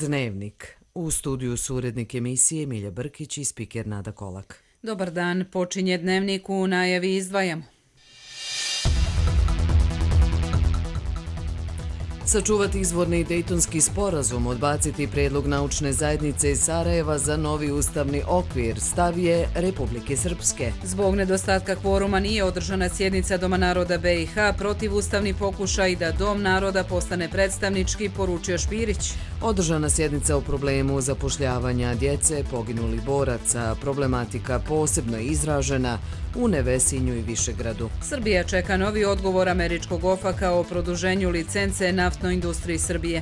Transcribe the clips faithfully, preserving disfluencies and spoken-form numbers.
Dnevnik. U studiju su urednik emisije Milja Brkić i spiker Nada Kolak. Dobar dan, počinje Dnevnik, u najavi izdvajamo. Sačuvati izvorni Dejtonski sporazum, odbaciti prijedlog naučne zajednice iz Sarajeva za novi ustavni okvir, stav je Republike Srpske. Zbog nedostatka kvoruma nije održana sjednica Doma naroda B i H, protiv ustavni pokušaj da Dom naroda postane predstavnički, poručio Špirić. Održana sjednica o problemu zapošljavanja djece, poginulih boraca, problematika posebno izražena u Nevesinju i Višegradu. Srbija čeka novi odgovor američkog OFAK-a o produženju licence naftnoj industriji Srbije.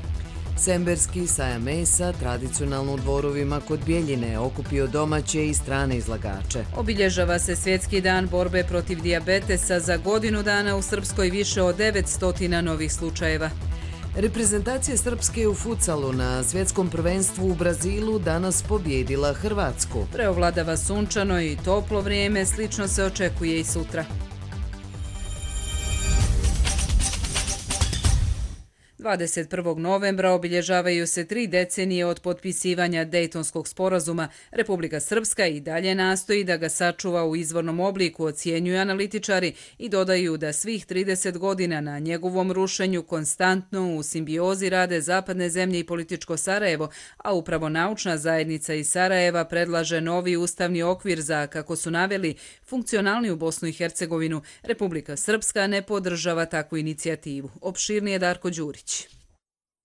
Semberski sajam mesa tradicionalno u Dvorovima kod Bjeljine okupio domaće i strane izlagače. Obilježava se Svjetski dan borbe protiv dijabetesa, za godinu dana u Srpskoj više od devetsto novih slučajeva. Reprezentacija Srpske u futsalu na svjetskom prvenstvu u Brazilu danas pobjedila Hrvatsku. Preovladava sunčano i toplo vrijeme, slično se očekuje i sutra. dvadeset prvog novembra obilježavaju se tri decenije od potpisivanja Dejtonskog sporazuma. Republika Srpska i dalje nastoji da ga sačuva u izvornom obliku, ocjenjuju analitičari i dodaju da svih trideset godina na njegovom rušenju konstantno u simbiozi rade zapadne zemlje i političko Sarajevo, a upravo naučna zajednica iz Sarajeva predlaže novi ustavni okvir za, kako su naveli, funkcionalniju Bosnu i Hercegovinu. Republika Srpska ne podržava takvu inicijativu. Opširnije Darko Đurić.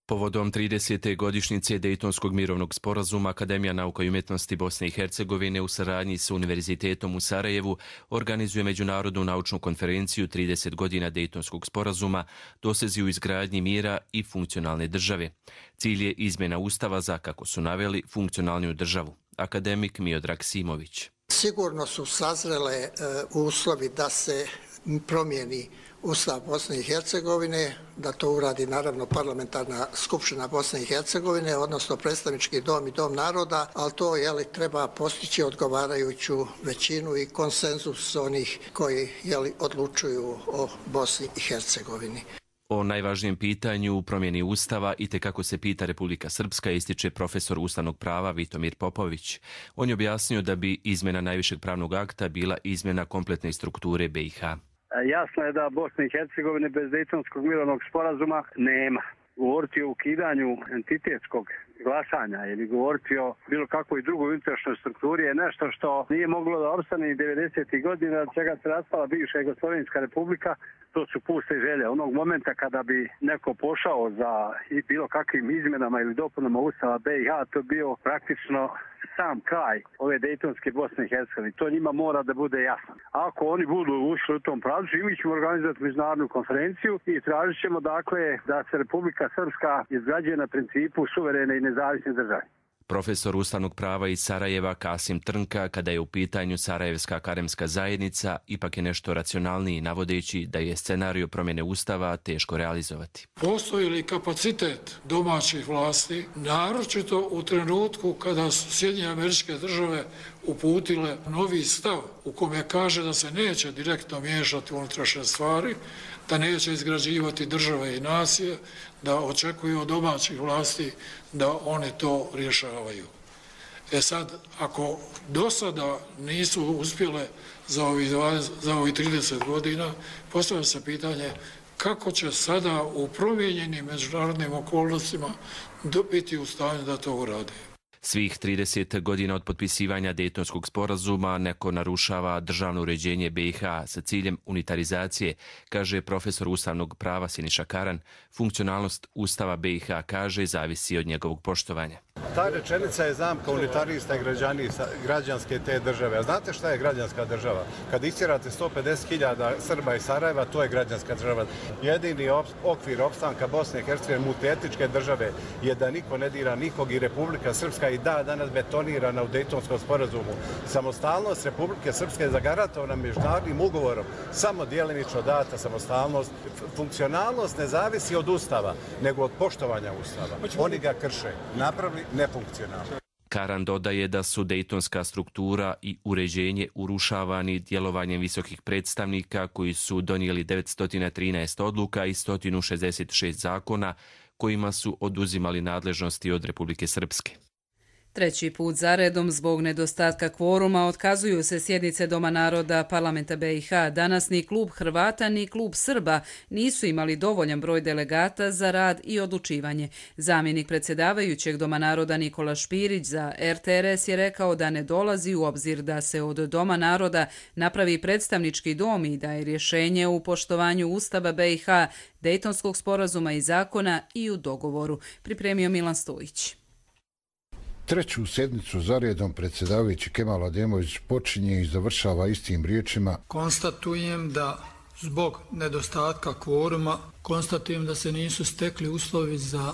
Povodom tridesete godišnjice Dejtonskog mirovnog sporazuma, Akademija nauka i umjetnosti Bosne i Hercegovine u saradnji sa Univerzitetom u Sarajevu organizuje međunarodnu naučnu konferenciju trideset godina Dejtonskog sporazuma, dosezi u izgradnji mira i funkcionalne države. Cilj je izmjena ustava za, kako su naveli, funkcionalniju državu. Akademik Miodrag Simović. Sigurno su sazrele e, uslovi da se promijeni Ustav Bosne i Hercegovine, da to uradi naravno parlamentarna skupština Bosne i Hercegovine, odnosno predstavnički dom i dom naroda, ali to jeli, treba postići odgovarajuću većinu i konsenzus onih koji jeli, odlučuju o Bosni i Hercegovini. O najvažnijem pitanju u promjeni Ustava i te kako se pita Republika Srpska ističe profesor ustavnog prava Vitomir Popović. On je objasnio da bi izmjena najvišeg pravnog akta bila izmjena kompletne strukture B i H. Jasno je da Bosna i Hercegovine bez Dejtonskog mirovnog sporazuma nema. Govoriti o ukidanju entitetskog glasanja ili govoriti o bilo kakvoj drugoj unutrašnjoj strukturi je nešto što nije moglo da opstane i devedesetih godina, od čega se raspala bivša Jugoslovenska republika. To su puste želje. Onog momenta kada bi neko pošao za bilo kakvim izmjenama ili dopunama Ustava B i H, to bio praktično sam kraj ove Dejtonske Bosne i Hercegovine. To njima mora da bude jasno. Ako oni budu ušli u tom pravcu, i mi ćemo organizovati međunarodnu konferenciju i tražit ćemo dakle da se Republika Srpska izgrađuje na principu suverene i nezavisne države. Profesor ustavnog prava iz Sarajeva Kasim Trnka, kada je u pitanju Sarajevska akademska zajednica, ipak je nešto racionalniji, navodeći da je scenariju promjene Ustava teško realizovati. Postoji li kapacitet domaćih vlasti, naročito u trenutku kada su Sjedinjene Američke Države uputile novi stav u kome kaže da se neće direktno miješati u unutrašnje stvari, da neće izgrađivati države i nacije, da očekuju od domaćih vlasti da one to rješavaju. E sad, ako do sada nisu uspjele za ovih, za ovih trideset godina, postavlja se pitanje kako će sada u promijenjenim međunarodnim okolnostima biti u stanju da to urade. Svih trideset godina od potpisivanja Dejtonskog sporazuma neko narušava državno uređenje B i H sa ciljem unitarizacije, kaže profesor ustavnog prava Siniša Karan. Funkcionalnost Ustava B i H, kaže, zavisi od njegovog poštovanja. Ta rečenica je zamka unitarista i građanske te države. A znate šta je građanska država? Kad istjerate sto pedeset hiljada Srba iz Sarajeva, to je građanska država. Jedini okvir opstanka Bosne i Hercegovine multietničke države je da niko ne dira nikog i Republika Srpska i da danas betonirana u Dejtonskom sporazumu. Samostalnost Republike Srpske je zagarantovana međunarodnim ugovorom, samo djelimično data samostalnost. Funkcionalnost ne zavisi od Ustava, nego od poštovanja Ustava. Oni ga krše, napravili nefunkcionalno. Karan dodaje da su dejtonska struktura i uređenje urušavani djelovanjem visokih predstavnika koji su donijeli devetsto trinaest odluka i sto šezdeset šest zakona kojima su oduzimali nadležnosti od Republike Srpske. Treći put zaredom zbog nedostatka kvoruma otkazuju se sjednice Doma naroda Parlamenta B i H. Danas ni klub Hrvata ni klub Srba nisu imali dovoljan broj delegata za rad i odlučivanje. Zamjenik predsjedavajućeg Doma naroda Nikola Špirić za R T R S je rekao da ne dolazi u obzir da se od Doma naroda napravi predstavnički dom i da je rješenje u poštovanju Ustava B i H, Dejtonskog sporazuma i zakona i u dogovoru, pripremio Milan Stojić. Treću sjednicu zaredom predsjedavajući Kemal Ademović počinje i završava istim riječima. Konstatujem da zbog nedostatka kvoruma, konstatujem da se nisu stekli uslovi za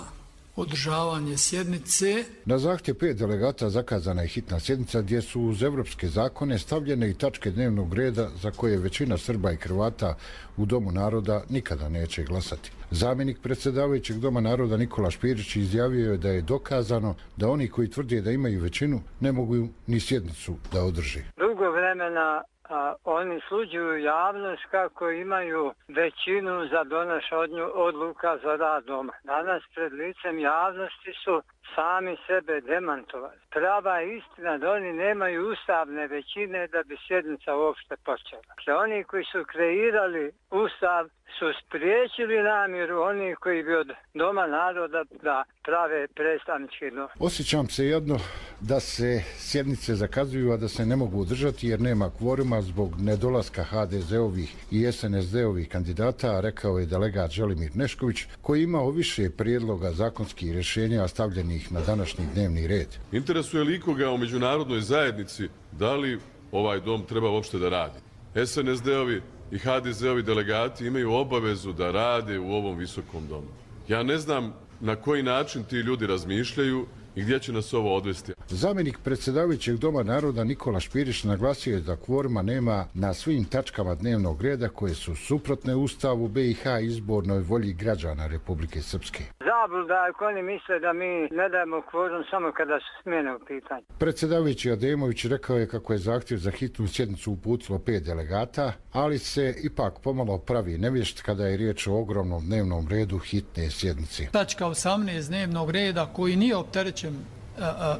održavanje sjednice. Na zahtjev pet delegata zakazana je hitna sjednica gdje su uz evropske zakone stavljene i tačke dnevnog reda za koje većina Srba i Hrvata u Domu naroda nikada neće glasati. Zamjenik predsjedavajućeg Doma naroda Nikola Špirić izjavio je da je dokazano da oni koji tvrde da imaju većinu ne mogu ni sjednicu da održi. Dugo vremena a, oni sluđuju javnost kako imaju većinu za donošenje odluka za rad doma. Danas pred licem javnosti su sami sebe demantovali. Prava je istina da oni nemaju ustavne većine da bi sjednica uopšte počela. Dakle, oni koji su kreirali ustav su spriječili namjeru onih koji bi od Doma naroda da prave predstavnički dom. Osjećam se jedno da se sjednice zakazuju, a da se ne mogu održati jer nema kvoruma zbog nedolaska H D Z-ovih i S N S D-ovih kandidata, rekao je delegat Želimir Nešković, koji imao više prijedloga zakonskih rješenja stavljenih na današnji dnevni red. Interesuje li ikoga u međunarodnoj zajednici da li ovaj dom treba uopšte da radi? S N S D-ovi i H D Z-ovi delegati imaju obavezu da rade u ovom visokom domu. Ja ne znam na koji način ti ljudi razmišljaju i gdje će nas ovo odvesti. Zamjenik predsjedavajućeg Doma naroda Nikola Špirić naglasio je da kvoruma nema na svim tačkama dnevnog reda koje su suprotne Ustavu B i H i izbornoj volji građana Republike Srpske. Zabluda ako oni misle da mi ne dajemo kvorum samo kada su smjene u pitanju. Predsjedavajući Ademović rekao je kako je zahtjev za hitnu sjednicu uputilo pet delegata, ali se ipak pomalo pravi nevješt kada je riječ o ogromnom dnevnom redu hitne sjednice. Tačka osamnaest dnevnog reda koji nije opterećen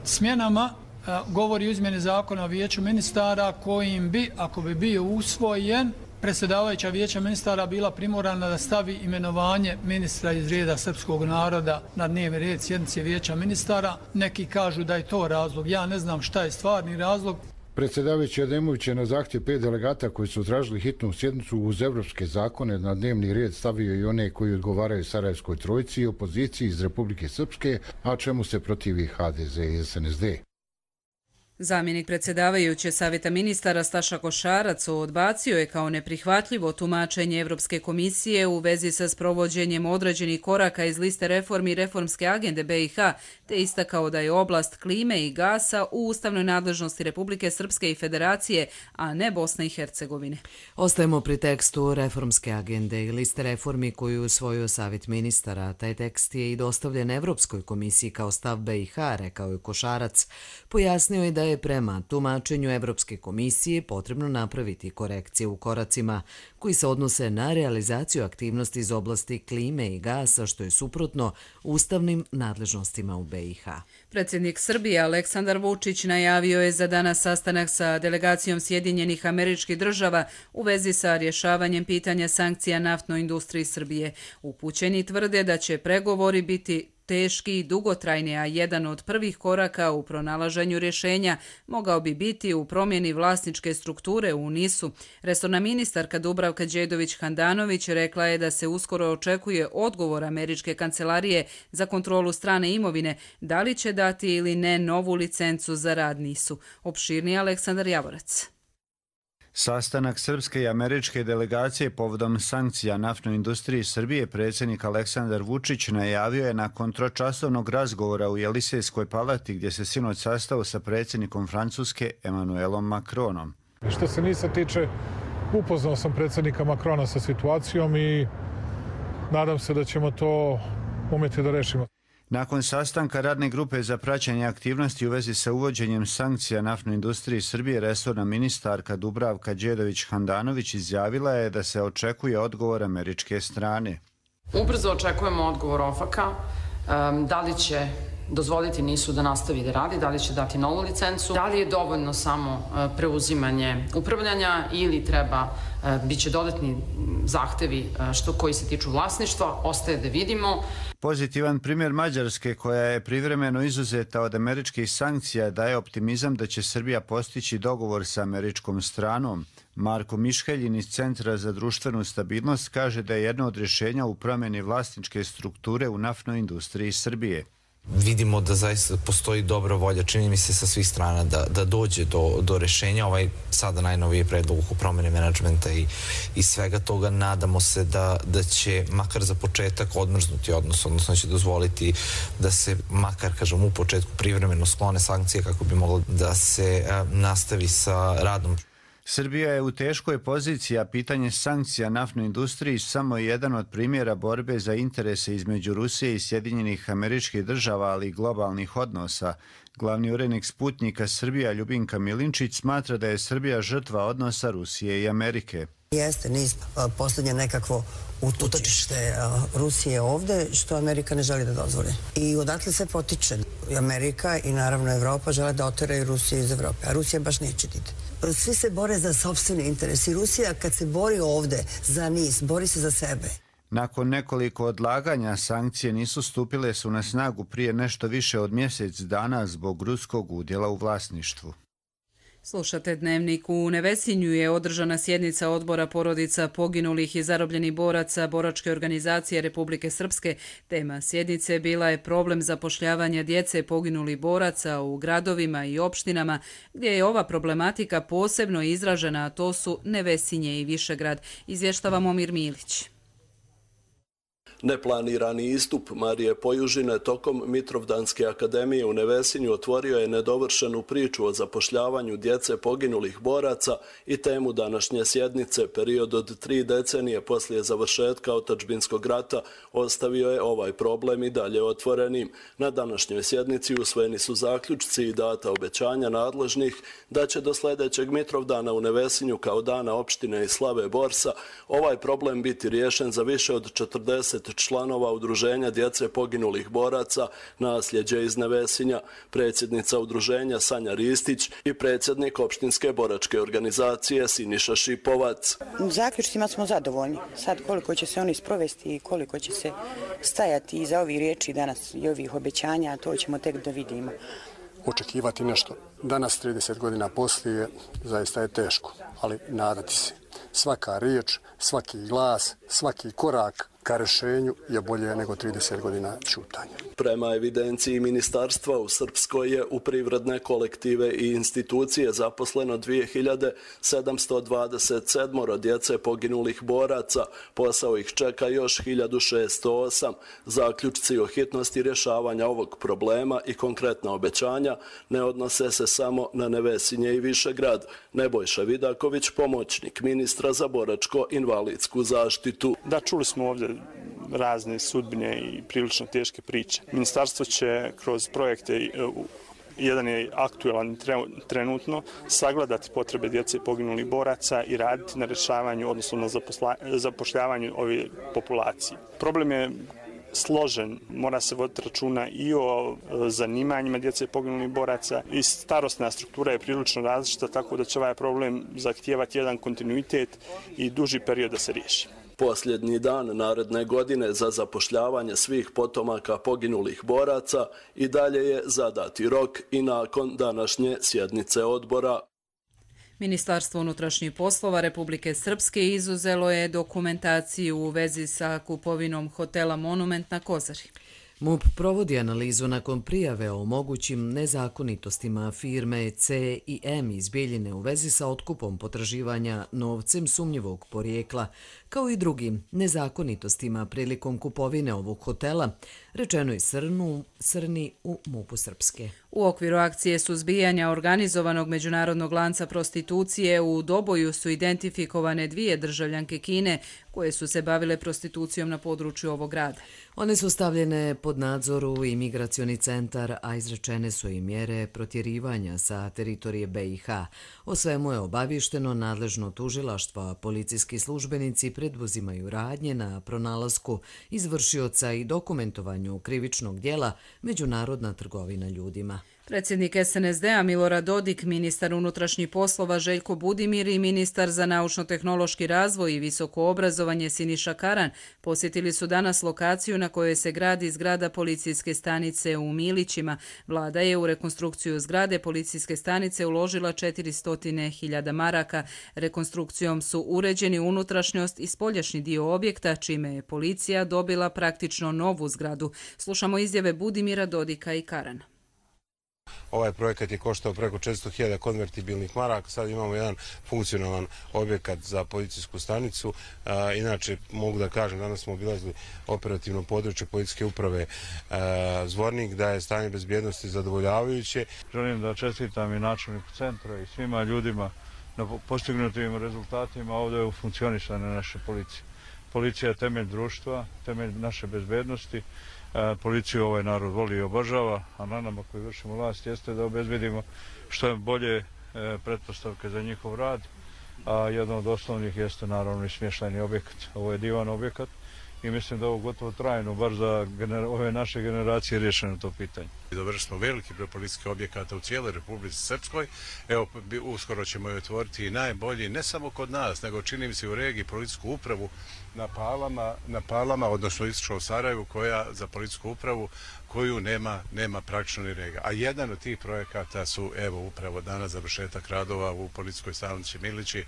smjenama govori o izmjeni zakona o vijeću ministara kojim bi, ako bi bio usvojen, predsjedavajuća vijeća ministara bila primorana da stavi imenovanje ministra iz reda srpskog naroda na dnevni red sjednice vijeća ministara. Neki kažu da je to razlog. Ja ne znam šta je stvarni razlog. Predsjedavajući Ademović je na zahtjev pet delegata koji su tražili hitnu sjednicu uz evropske zakone na dnevni red stavio i one koji odgovaraju Sarajevskoj trojici i opoziciji iz Republike Srpske, a čemu se protivi H D Z i S N S D. Zamjenik predsjedavajuće Savjeta ministara Staša Košarac odbacio je kao neprihvatljivo tumačenje Evropske komisije u vezi sa sprovođenjem određenih koraka iz liste reformi i reformske agende B i H, te istakao da je oblast klime i gasa u ustavnoj nadležnosti Republike Srpske i Federacije, a ne Bosne i Hercegovine. Ostajemo pri tekstu reformske agende i liste reformi koju je usvojio Savjet ministara. Taj tekst je i dostavljen Evropskoj komisiji kao stav B i H, rekao je Košarac. Pojasnio je da je prema tumačenju Evropske komisije potrebno napraviti korekcije u koracima koji se odnose na realizaciju aktivnosti iz oblasti klime i gasa, što je suprotno ustavnim nadležnostima u B i H. Predsjednik Srbije Aleksandar Vučić najavio je za danas sastanak sa delegacijom Sjedinjenih Američkih Država u vezi sa rješavanjem pitanja sankcija naftnoj industriji Srbije. Upućeni tvrde da će pregovori biti teški i dugotrajni, a jedan od prvih koraka u pronalaženju rješenja mogao bi biti u promjeni vlasničke strukture u N I S-u. Resorna ministarka Dubravka Đedović-Handanović rekla je da se uskoro očekuje odgovor američke kancelarije za kontrolu strane imovine, da li će dati ili ne novu licencu za rad N I S-u. Opširniji Aleksandar Javorac. Sastanak srpske i američke delegacije povodom sankcija naftnoj industriji Srbije predsjednik Aleksandar Vučić najavio je nakon tročasovnog razgovora u Jelisejskoj palati gdje se sinoć sastao sa predsjednikom Francuske Emmanuelom Macronom. Što se N I S-a tiče, upoznao sam predsjednika Macrona sa situacijom i nadam se da ćemo to umjeti da rešimo. Nakon sastanka radne grupe za praćenje aktivnosti u vezi sa uvođenjem sankcija naftnoj industriji Srbije, resorna ministarka Dubravka Đedović-Handanović izjavila je da se očekuje odgovor američke strane. Ubrzo očekujemo odgovor O F A C-a. Da li će dozvoliti nisu da nastavi da radi, da li će dati novu licencu, da li je dovoljno samo preuzimanje upravljanja ili treba, bit će dodatni zahtevi što koji se tiču vlasništva, ostaje da vidimo. Pozitivan primjer Mađarske, koja je privremeno izuzeta od američkih sankcija, daje optimizam da će Srbija postići dogovor sa američkom stranom. Marko Mišheljin iz Centra za društvenu stabilnost kaže da je jedno od rješenja u promjeni vlasničke strukture u naftnoj industriji Srbije. Vidimo da zaista postoji dobra volja, čini mi se sa svih strana, da, da dođe do, do rešenja. Ovaj sada najnoviji predlog u promjene menadžmenta i, i svega toga, nadamo se da, da će makar za početak odmrznuti odnos, odnosno će dozvoliti da se makar, kažem, u početku privremeno sklone sankcije kako bi moglo da se a, nastavi sa radom. Srbija je u teškoj poziciji, a pitanje sankcija naftnoj industriji samo je jedan od primjera borbe za interese između Rusije i Sjedinjenih Američkih Država, ali i globalnih odnosa. Glavni urednik Sputnika Srbija Ljubinka Milinčić smatra da je Srbija žrtva odnosa Rusije i Amerike. Jeste niz posljednje nekakvo utočište Rusije ovde, što Amerika ne želi da dozvoli. I odatle se potiče. Amerika i naravno Evropa žele da oteraju Rusiju iz Evrope, a Rusija baš neće diti. Svi se bore za sopstveni interes i Rusija kad se bori ovde za niz, bori se za sebe. Nakon nekoliko odlaganja, sankcije nisu stupile su na snagu prije nešto više od mjesec dana zbog ruskog udjela u vlasništvu. Slušate Dnevnik. U Nevesinju je održana sjednica odbora porodica poginulih i zarobljenih boraca Boračke organizacije Republike Srpske. Tema sjednice bila je problem zapošljavanja djece poginulih boraca u gradovima i opštinama gdje je ova problematika posebno izražena, a to su Nevesinje i Višegrad. Izvještava Momir Milić. Neplanirani istup Marije Pojužine tokom Mitrovdanske akademije u Nevesinju otvorio je nedovršenu priču o zapošljavanju djece poginulih boraca i temu današnje sjednice. Period od tri decenije poslije završetka otadžbinskog rata ostavio je ovaj problem i dalje otvorenim. Na današnjoj sjednici usvojeni su zaključci i data obećanja nadležnih da će do sljedećeg Mitrovdana u Nevesinju kao dana opštine i slave Borsa ovaj problem biti riješen za više od četrdeset članova udruženja djece poginulih boraca Nasljeđe iz Nevesinja, predsjednica udruženja Sanja Ristić i predsjednik opštinske boračke organizacije Siniša Šipovac. Zaključcima smo zadovoljni. Sad koliko će se oni sprovesti i koliko će se stajati iza ovih riječi danas i ovih obećanja, to ćemo tek da vidimo. Očekivati nešto danas, trideset godina poslije, zaista je teško, ali nadati se. Svaka riječ, svaki glas, svaki korak ka rešenju je bolje nego trideset godina ćutanja. Prema evidenciji ministarstva u Srpskoj je u privredne kolektive i institucije zaposleno dvije hiljade sedamsto dvadeset sedam djece poginulih boraca. Posao ih čeka još hiljadu šesto osam. Zaključci o hitnosti rješavanja ovog problema i konkretna obećanja ne odnose se samo na Nevesinje i Višegrad. Nebojša Vidaković, pomoćnik ministra za boračko-invalidsku zaštitu. Da, čuli smo ovdje razne sudbine i prilično teške priče. Ministarstvo će kroz projekte, jedan je aktuelan trenutno, sagledati potrebe djece poginulih boraca i raditi na rješavanju, odnosno na zapošljavanju ove populacije. Problem je složen, mora se voditi računa i o zanimanjima djece poginulih boraca i starosna struktura je prilično različita, tako da će ovaj problem zahtijevati jedan kontinuitet i duži period da se riješi. Posljednji dan naredne godine za zapošljavanje svih potomaka poginulih boraca i dalje je zadati rok i nakon današnje sjednice odbora. Ministarstvo unutrašnjih poslova Republike Srpske izuzelo je dokumentaciju u vezi sa kupovinom hotela Monument na Kozari. MUP provodi analizu nakon prijave o mogućim nezakonitostima firme C i M iz Bijeljine u vezi sa otkupom potraživanja novcem sumnjivog porijekla, kao i drugim nezakonitostima prilikom kupovine ovog hotela, rečeno je Srnu, Srni u MUP-u Srpske. U okviru akcije suzbijanja organizovanog međunarodnog lanca prostitucije u Doboju su identifikovane dvije državljanke Kine koje su se bavile prostitucijom na području ovog grada. One su stavljene pod nadzor u imigracioni centar, a izrečene su i mjere protjerivanja sa teritorije B i H. O svemu je obavješteno nadležno tužilaštvo, a policijski službenici preduzimaju radnje na pronalasku izvršioca i dokumentovanju krivičnog djela međunarodna trgovina ljudima. Predsjednik S N S D-a Milorad Dodik, ministar unutrašnjih poslova Željko Budimir i ministar za naučno-tehnološki razvoj i visoko obrazovanje Siniša Karan posjetili su danas lokaciju na kojoj se gradi zgrada policijske stanice u Milićima. Vlada je u rekonstrukciju zgrade policijske stanice uložila četiristo hiljada maraka. Rekonstrukcijom su uređeni unutrašnjost i spoljašnji dio objekta, čime je policija dobila praktično novu zgradu. Slušamo izjave Budimira, Dodika i Karana. Ovaj projekat je koštao preko četiristo hiljada konvertibilnih maraka, sad imamo jedan funkcionalan objekat za policijsku stanicu. Inače, mogu da kažem, danas smo obilazili operativno područje policijske uprave Zvornik, da je stanje bezbjednosti zadovoljavajuće. Želim da čestitam i načelniku centra i svima ljudima na postignutim rezultatima ovdje u funkcionisanju naše policije. Policija je temelj društva, temelj naše bezbjednosti. Policiju ovaj narod voli i obožava, a na nama koji vršimo vlast jeste da obezbedimo što je bolje pretpostavke za njihov rad, a jedan od osnovnih jeste naravno i smještajni objekat. Ovo je divan objekat i mislim da ovo gotovo trajno, bar za ove naše generacije, riješeno to pitanje. Dovršili smo veliki broj policijskih objekata u cijeloj Republici Srpskoj. Evo, uskoro ćemo je otvoriti i najbolji, ne samo kod nas, nego čini mi se u regiji policijsku upravu na Palama, na Palama, odnosno istočno u Sarajevu, koja za policijsku upravu koju nema, nema praktično ni rega. A jedan od tih projekata su, evo, upravo danas završetak radova u policijskoj stanici Milići.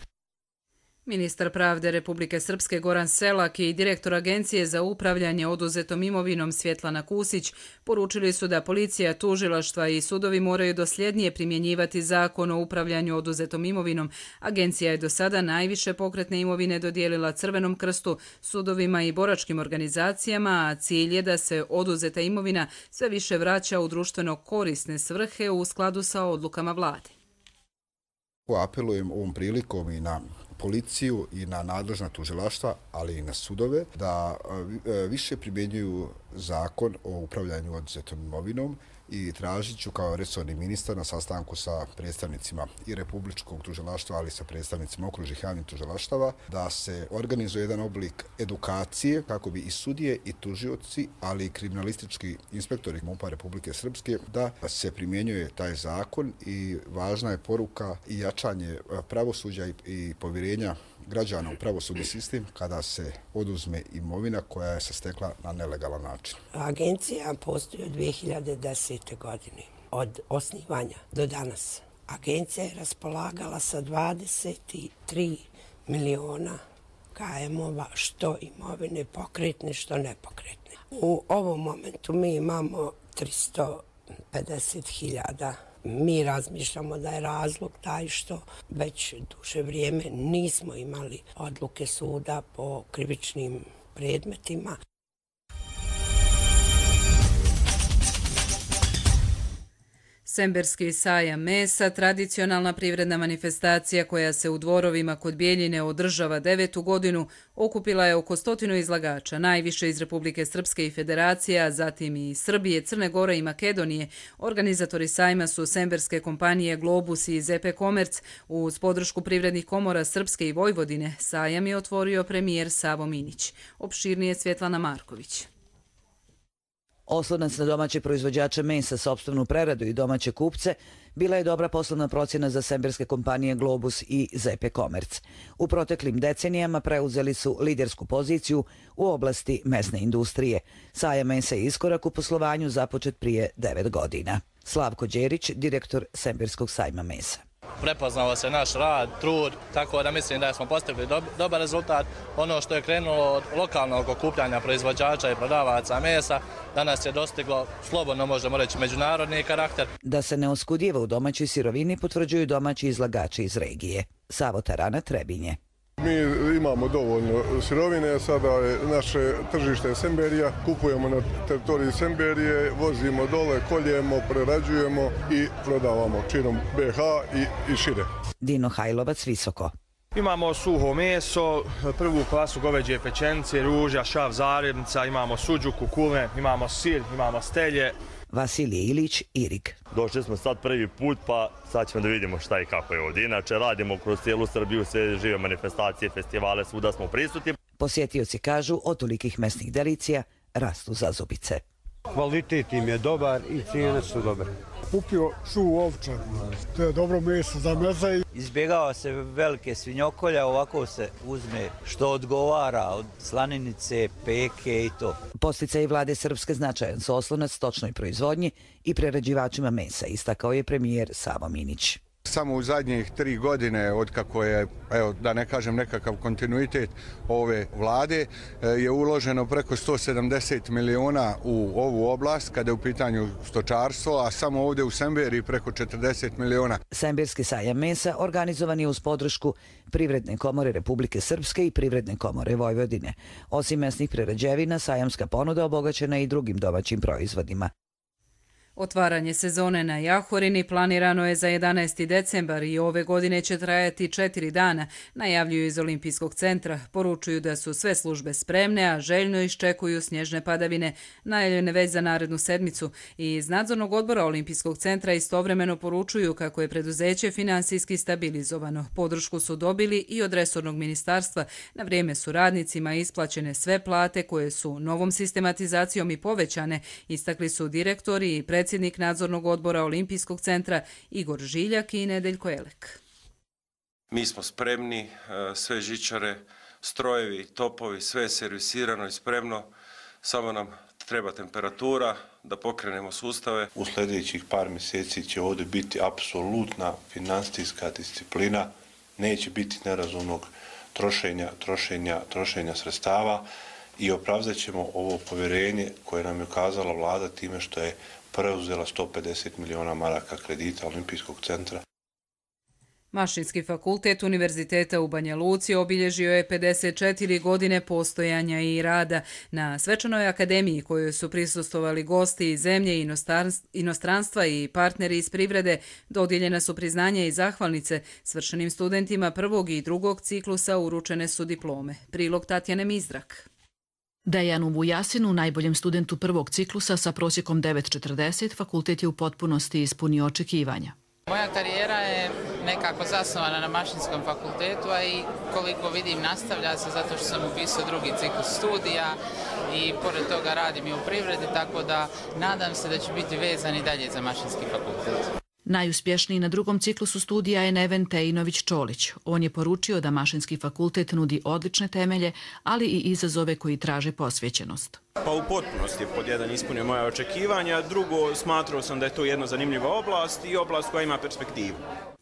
Ministar pravde Republike Srpske Goran Selak i direktor Agencije za upravljanje oduzetom imovinom Svjetlana Kusić poručili su da policija, tužilaštva i sudovi moraju dosljednije primjenjivati zakon o upravljanju oduzetom imovinom. Agencija je do sada najviše pokretne imovine dodijelila Crvenom krstu, sudovima i boračkim organizacijama, a cilj je da se oduzeta imovina sve više vraća u društveno korisne svrhe u skladu sa odlukama vlade. Apelujem ovom prilikom i na policiju i na nadležna tužilaštva, ali i na sudove, da više primjenjuju zakon o upravljanju oduzetom imovinom i tražit ću kao resorni ministar na sastanku sa predstavnicima i Republičkog tužilaštva, ali i sa predstavnicima okružnih javnih tužilaštava, da se organizuje jedan oblik edukacije kako bi i sudije i tužioci, ali i kriminalistički inspektori M U P-a Republike Srpske, da se primjenjuje taj zakon i važna je poruka i jačanje pravosuđa i povjerenja građana u pravosudni sistem kada se oduzme imovina koja je se stekla na nelegalan način. Agencija postoji od dvije hiljade desete. godine. Od osnivanja do danas agencija je raspolagala sa dvadeset tri miliona K M-ova, što imovine pokretne, što nepokretne. U ovom momentu mi imamo tristo pedeset hiljada. Mi razmišljamo da je razlog taj što već duže vrijeme nismo imali odluke suda po krivičnim predmetima. Semberski sajam mesa, tradicionalna privredna manifestacija koja se u Dvorovima kod Bijeljine održava devetu godinu, okupila je oko stotinu izlagača, najviše iz Republike Srpske i Federacije, a zatim i Srbije, Crne Gore i Makedonije. Organizatori sajma su semberske kompanije Globus i Z P Komerc. Uz podršku privrednih komora Srpske i Vojvodine, sajam je otvorio premijer Savo Minić. Opširnije Svjetlana Marković. Oslonac na domaće proizvođače mesa, sopstvenu preradu i domaće kupce bila je dobra poslovna procjena za semberske kompanije Globus i Z P Komerc. U proteklim decenijama preuzeli su lidersku poziciju u oblasti mesne industrije. Sajam mesa je iskorak u poslovanju započet prije devet godina. Slavko Đerić, direktor Semberskog sajma mesa. Prepoznao se naš rad, trud, tako da mislim da smo postigli dobar rezultat. Ono što je krenulo od lokalnog okupljanja proizvođača i prodavaca mesa, danas je dostiglo, slobodno možemo reći, međunarodni karakter. Da se ne oskudijeva u domaćoj sirovini potvrđuju domaći izlagači iz regije. Savo Tarana, Trebinje. Mi imamo dovoljno sirovine, sada je naše tržište Semberija, kupujemo na teritoriji Semberije, vozimo dole, koljemo, prerađujemo i prodavamo činom B H i, i šire. Dino Hajlovac, Visoko. Imamo suho meso, prvu klasu goveđe pečenice, ruža, šav, zaremca, imamo suđu, kukume, imamo sir, imamo stelje. Vasilije Ilić, Irig. Došli smo sad prvi put, pa sad ćemo da vidimo šta i kako je ovdje. Inače, radimo kroz cijelu Srbiju, sve žive manifestacije, festivale, svuda smo prisutni. Posjetioci kažu, od tolikih mesnih delicija rastu zazubice. Kvalitet im je dobar i cijene su dobre. Kupio su ovča, to je dobro meso za meza. Izbjegava se velike svinjokolja, ovako se uzme što odgovara od slaninice, peke i to. Posticaji vlade Srpske značajan su oslonac stočnoj proizvodnji i prerađivačima mesa, istakao je premijer Savo Minić. Samo u zadnjih tri godine, otkako je, evo, da ne kažem nekakav kontinuitet ove vlade, je uloženo preko sto sedamdeset miliona u ovu oblast kada je u pitanju stočarstvo, a samo ovdje u Semberiji preko četrdeset miliona. Semberski sajam mesa organizovan je uz podršku Privredne komore Republike Srpske i Privredne komore Vojvodine. Osim mesnih prerađevina, sajamska ponuda obogaćena i drugim domaćim proizvodima. Otvaranje sezone na Jahorini planirano je za jedanaesti decembar i ove godine će trajati četiri dana, najavljuju iz Olimpijskog centra. Poručuju da su sve službe spremne, a željno iščekuju snježne padavine, najavljene već za narednu sedmicu. I iz nadzornog odbora Olimpijskog centra istovremeno poručuju kako je preduzeće finansijski stabilizovano. Podršku su dobili i od resornog ministarstva. Na vrijeme su radnicima isplaćene sve plate koje su novom sistematizacijom i povećane, istakli su direktori i predsjednici predsjednik nadzornog odbora Olimpijskog centra Igor Žiljak i Nedeljko Elek. Mi smo spremni, sve žičare, strojevi, topovi, sve je servisirano i spremno, samo nam treba temperatura da pokrenemo sustave. U sljedećih par mjeseci će ovdje biti apsolutna finansijska disciplina, neće biti nerazumnog trošenja, trošenja, trošenja sredstava i opravdat ćemo ovo povjerenje koje nam je ukazala vlada time što je preuzela sto pedeset miliona maraka kredita Olimpijskog centra. Mašinski fakultet Univerziteta u Banja Luci obilježio je pedeset četiri godine postojanja i rada. Na svečanoj akademiji kojoj su prisustvovali gosti iz zemlje i inostranstva i partneri iz privrede, dodijeljena su priznanja i zahvalnice. Svršenim studentima prvog i drugog ciklusa uručene su diplome. Prilog Tatjane Mizdrak. Dejanu Vujasinu, najboljem studentu prvog ciklusa sa prosjekom devet zarez četrdeset, fakultet je u potpunosti ispunio očekivanja. Moja karijera je nekako zasnovana na Mašinskom fakultetu, a i koliko vidim nastavlja se zato što sam upisao drugi ciklus studija i pored toga radim i u privredi, tako da nadam se da će biti vezan i dalje za Mašinski fakultet. Najuspješniji na drugom ciklusu studija je Neven Tejinović-Čolić. On je poručio da Mašinski fakultet nudi odlične temelje, ali i izazove koji traže posvećenost. Pa u potpunosti pod jedan ispunio moja očekivanja, drugo smatrao sam da je to jedna zanimljiva oblast i oblast koja ima perspektivu.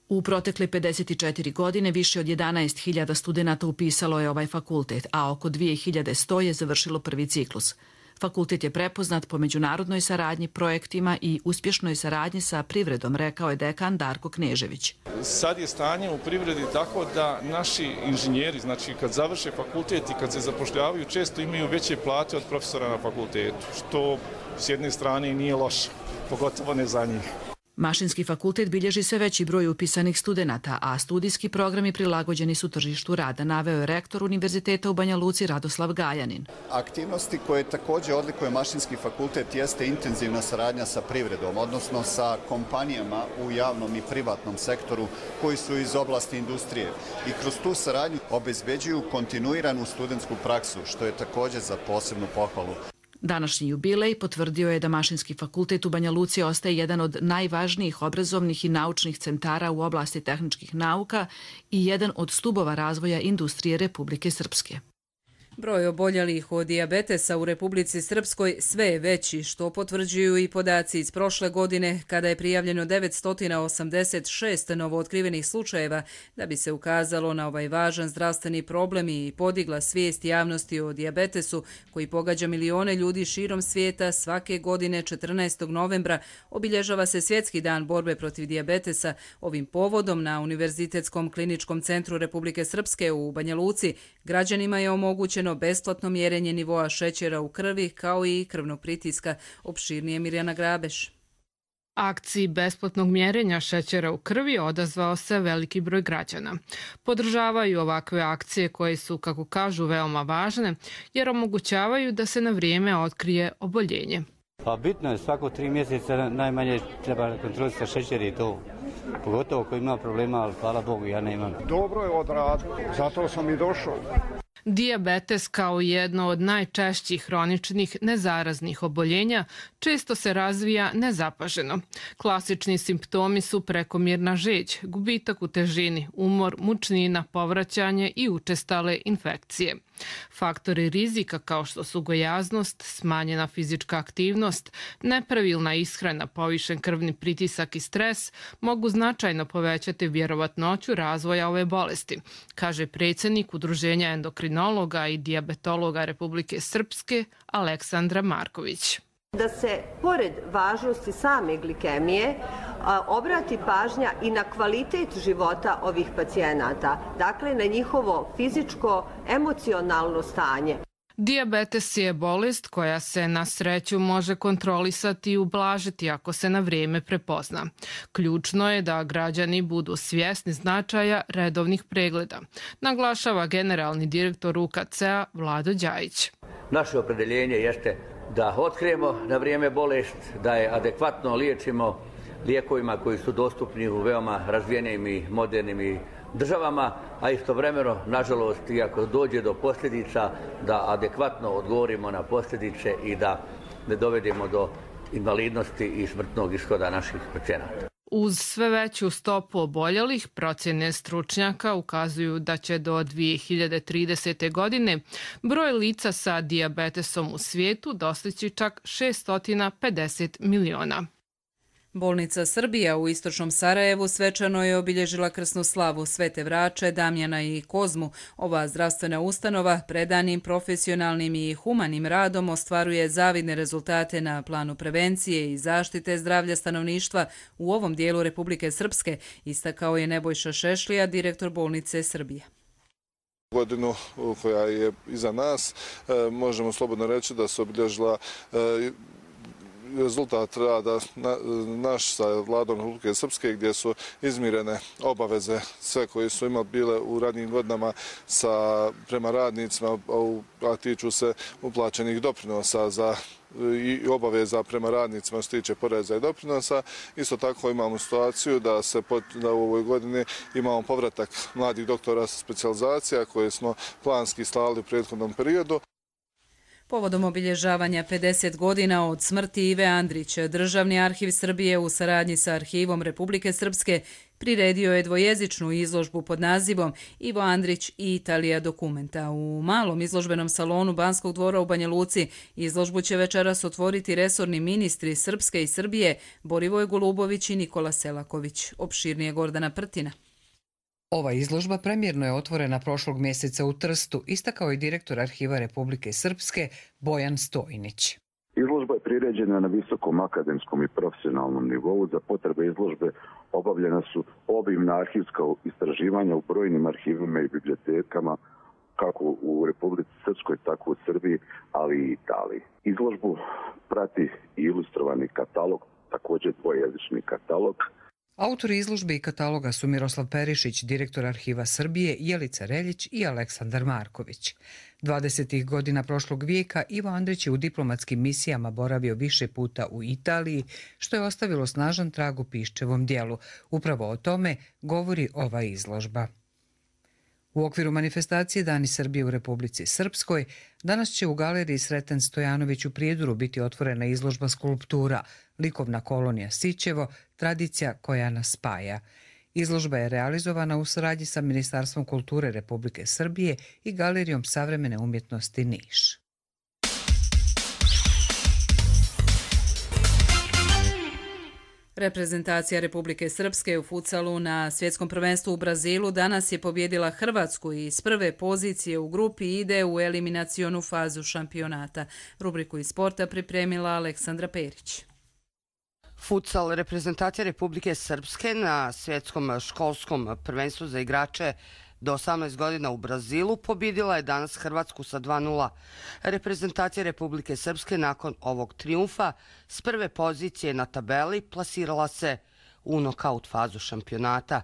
U protekle pedeset četiri godine više od jedanaest hiljada studenata upisalo je ovaj fakultet, a oko dvije hiljade sto je završilo prvi ciklus. Fakultet je prepoznat po međunarodnoj saradnji, projektima i uspješnoj saradnji sa privredom, rekao je dekan Darko Knežević. Sad je stanje u privredi tako da naši inženjeri, znači kad završe fakultet i kad se zapošljavaju, često imaju veće plate od profesora na fakultetu, što s jedne strane nije loše, pogotovo ne za njih. Mašinski fakultet bilježi sve veći broj upisanih studenata, a studijski programi prilagođeni su tržištu rada, naveo je rektor Univerziteta u Banja Luci Radoslav Gajanin. Aktivnosti koje također odlikuje Mašinski fakultet jeste intenzivna saradnja sa privredom, odnosno sa kompanijama u javnom i privatnom sektoru koji su iz oblasti industrije i kroz tu saradnju obezbeđuju kontinuiranu studentsku praksu, što je također za posebnu pohvalu. Današnji jubilej potvrdio je da Mašinski fakultet u Banja Luci ostaje jedan od najvažnijih obrazovnih i naučnih centara u oblasti tehničkih nauka i jedan od stubova razvoja industrije Republike Srpske. Broj oboljelih od dijabetesa u Republici Srpskoj sve je veći, što potvrđuju i podaci iz prošle godine, kada je prijavljeno devetsto osamdeset šest novootkrivenih slučajeva, da bi se ukazalo na ovaj važan zdravstveni problem i podigla svijest javnosti o dijabetesu, koji pogađa milione ljudi širom svijeta. Svake godine četrnaestog novembra obilježava se Svjetski dan borbe protiv dijabetesa. Ovim povodom na Univerzitetskom kliničkom centru Republike Srpske u Banja Luci građanima je omogućeno besplatno mjerenje nivoa šećera u krvi kao i krvnog pritiska. Opširnije Mirjana Grabeš. Akciji besplatnog mjerenja šećera u krvi odazvao se veliki broj građana. Podržavaju ovakve akcije koje su, kako kažu, veoma važne jer omogućavaju da se na vrijeme otkrije oboljenje. Pa bitno je, svako tri mjeseca najmanje treba kontrolisati šećer i to. Pogotovo ko ima problema, ali hvala Bogu ja nemam. Dobro je odradio, zato sam i došao. Dijabetes kao jedno od najčešćih hroničnih nezaraznih oboljenja često se razvija nezapaženo. Klasični simptomi su prekomjerna žeđ, gubitak u težini, umor, mučnina, povraćanje i učestale infekcije. Faktori rizika kao što su gojaznost, smanjena fizička aktivnost, nepravilna ishrana, povišen krvni pritisak i stres mogu značajno povećati vjerovatnoću razvoja ove bolesti, kaže predsjednik Udruženja endokrinologa i dijabetologa Republike Srpske Aleksandra Marković. Da se, pored važnosti same glikemije, obrati pažnja i na kvalitet života ovih pacijenata, dakle na njihovo fizičko, emocionalno stanje. Dijabetes je bolest koja se na sreću može kontrolisati i ublažiti ako se na vrijeme prepozna. Ključno je da građani budu svjesni značaja redovnih pregleda, naglašava generalni direktor U K C-a Vlado Đajić. Naše opredeljenje jeste da otkrijemo na vrijeme bolest, da je adekvatno liječimo lijekovima koji su dostupni u veoma razvijenim i modernim državama, a istovremeno, nažalost, iako dođe do posljedica, da adekvatno odgovorimo na posljedice i da ne dovedemo do invalidnosti i smrtnog ishoda naših pacijenata. Uz sve veću stopu oboljelih, procjene stručnjaka ukazuju da će do dvije hiljade tridesete. godine broj lica sa dijabetesom u svijetu dostići čak šesto pedeset miliona. Bolnica Srbija u istočnom Sarajevu svečano je obilježila krsnu slavu Svete Vrače, Damjana i Kozmu. Ova zdravstvena ustanova predanim, profesionalnim i humanim radom ostvaruje zavidne rezultate na planu prevencije i zaštite zdravlja stanovništva u ovom dijelu Republike Srpske, istakao je Nebojša Šešlija, direktor bolnice Srbije. Godinu koja je iza nas možemo slobodno reći da se obilježila rezultat rada naš sa vladom Republike Srpske, gdje su izmirene obaveze sve koje su imali bile u radnim godinama sa, prema radnicima, a tiču se uplaćenih doprinosa za i obaveza prema radnicima što se tiče poreza i doprinosa. Isto tako imamo situaciju da se da u ovoj godini imamo povratak mladih doktora sa specijalizacija koje smo planski slali u prethodnom periodu. Povodom obilježavanja pedeset godina od smrti Ive Andrića, Državni arhiv Srbije u saradnji sa Arhivom Republike Srpske priredio je dvojezičnu izložbu pod nazivom Ivo Andrić i Italija dokumenta. U malom izložbenom salonu Banskog dvora u Banja Luci izložbu će večeras otvoriti resorni ministri Srpske i Srbije Borivoj Golubović i Nikola Selaković. Opširnije Gordana Prtina. Ova izložba premjerno je otvorena prošlog mjeseca u Trstu, istakao je direktor Arhiva Republike Srpske Bojan Stojnić. Izložba je priređena na visokom akademskom i profesionalnom nivou. Za potrebe izložbe obavljena su obimna arhivska istraživanja u brojnim arhivima i bibliotekama, kako u Republici Srpskoj, tako u Srbiji, ali i Italiji. Izložbu prati i ilustrovani katalog, također dvojezični katalog. Autori izložbe i kataloga su Miroslav Perišić, direktor Arhiva Srbije, Jelica Reljić i Aleksandar Marković. dvadesetih godina prošlog vijeka Ivo Andrić je u diplomatskim misijama boravio više puta u Italiji, što je ostavilo snažan trag u Piščevom dijelu. Upravo o tome govori ova izložba. U okviru manifestacije Dani Srbije u Republici Srpskoj danas će u galeriji Sreten Stojanović u Prijedoru biti otvorena izložba skulptura Likovna kolonija Sićevo, tradicija koja nas spaja. Izložba je realizovana u saradnji sa Ministarstvom kulture Republike Srbije i Galerijom savremene umjetnosti Niš. Reprezentacija Republike Srpske u futsalu na svjetskom prvenstvu u Brazilu danas je pobjedila Hrvatsku i iz prve pozicije u grupi ide u eliminacionu fazu šampionata. Rubriku iz sporta pripremila Aleksandra Perić. Futsal reprezentacija Republike Srpske na svjetskom školskom prvenstvu za igrače do osamnaest godina u Brazilu pobjedila je danas Hrvatsku sa dva nula. Reprezentacija Republike Srpske nakon ovog trijumfa s prve pozicije na tabeli plasirala se u nokaut fazu šampionata.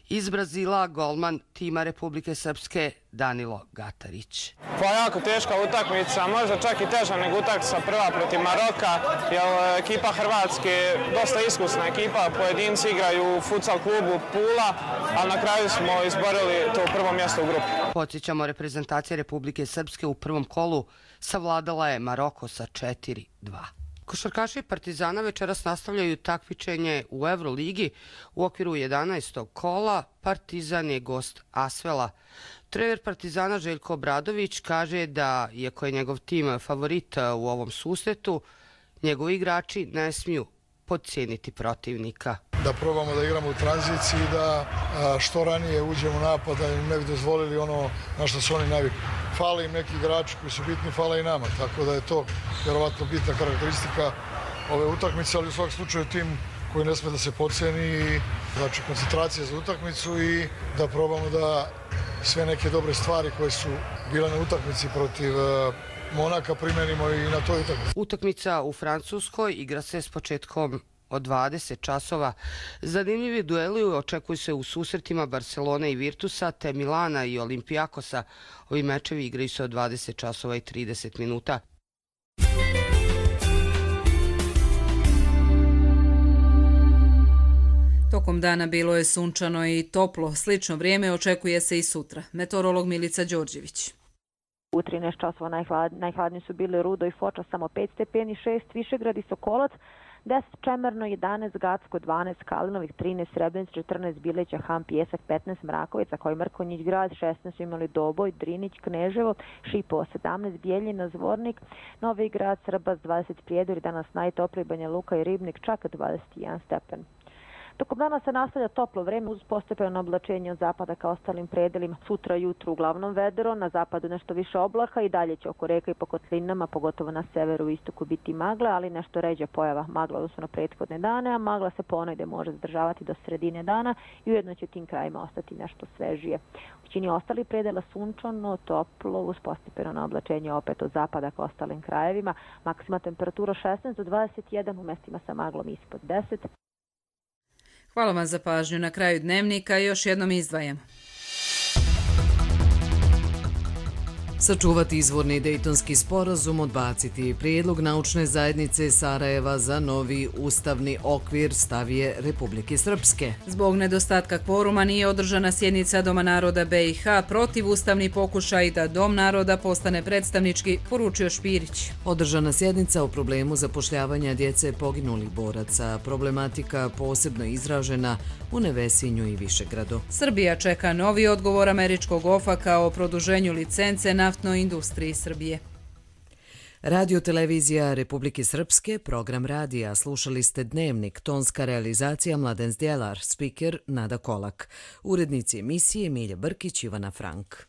Iz Brazila golman tima Republike Srpske Danilo Gatarić. Pa jako teška utakmica, možda čak i teža nego utakmica prva protiv Maroka, jer ekipa Hrvatske je dosta iskusna ekipa, pojedinci igraju u futsal klubu Pula, ali na kraju smo izborili to prvo mjesto u grupi. Podsjećamo, reprezentacija Republike Srpske u prvom kolu savladala je Maroko sa četiri dva. Košarkaši Partizana večeras nastavljaju takmičenje u Euroligi u okviru jedanaestog kola. Partizan je gost Asvela. Trener Partizana Željko Obradović kaže da, iako je njegov tim favorit u ovom susretu, njegovi igrači ne smiju podcijeniti protivnika. Da probamo da igramo u tranziciji, da što ranije uđemo u napad, da im ne bi dozvolili ono na što su oni navikli. Fale im neki igrači koji su bitni, fale i nama, tako da je to vjerovatno bitna karakteristika ove utakmice, ali u svakom slučaju tim koji ne sme da se podcijeni, znači koncentracija za utakmicu i da probamo da sve neke dobre stvari koje su bile na utakmici protiv Monaka primenimo i na toj utakmici. Utakmica u Francuskoj igra se s početkom od dvadeset časova. Zanimljivi dueli očekuju se u susretima Barcelone i Virtusa, te Milana i Olimpijakosa. Ovi mečevi igraju se od dvadeset časova i trideset minuta. Tokom dana bilo je sunčano i toplo. Slično vrijeme očekuje se i sutra. Meteorolog Milica Đorđević. U trinaest časova najhlad, najhladniji su bili Rudo i Foča, samo pet stepeni, šest Višegrad i Sokolac, deset Čemerno, jedanaest Gacko, dvanaest Kalinovih, trinaest Srebrenic, četrnaest Bileća, Han, Pjesak, petnaest Mrakovica, koji Mrkonjić grad, šesnaest su imali Doboj, Drinić, Kneževo, Šipovo, sedamnaest Bijeljina, Zvornik, Novi grad, Srbac, dvadeset Prijedor, danas najtopliji Banja Luka i Ribnik, čak dvadeset jedan stepen. Tokom dana se nastavlja toplo vreme uz postepeno oblačenje od zapada ka ostalim predelima. Sutra jutro uglavnom vedro, na zapadu nešto više oblaka i dalje će oko reka i po kotlinama, pogotovo na severu i istoku biti magla, ali nešto ređa pojava magla odnosno na prethodne dane, a magla se ponegde može zadržavati do sredine dana i ujedno će tim krajima ostati nešto svežije. U većini ostalih predela sunčano, toplo, uz postepeno oblačenje opet od zapada ka ostalim krajevima. Maksima temperatura šesnaest do dvadeset jedan, u mestima sa maglom ispod deset. Hvala vam za pažnju. Na kraju dnevnika još jednom izdvajamo. Sačuvati izvorni Dejtonski sporazum, odbaciti prijedlog naučne zajednice Sarajeva za novi ustavni okvir, stav je Republike Srpske. Zbog nedostatka kvoruma nije održana sjednica Doma naroda be i ha, protiv ustavni pokušaj da Dom naroda postane predstavnički, poručio Špirić. Održana sjednica o problemu zapošljavanja djece poginulih boraca, problematika posebno izražena u Nevesinju i Višegradu. Srbija čeka novi odgovor američkog ofaka o produženju licence naftnoj industriji Srbije. Radio televizija Republike Srpske, program radija. Slušali ste Dnevnik, tonska realizacija Mladen Zdjelar, spiker Nada Kolak. Urednici emisije Milja Brkić, Ivana Frank.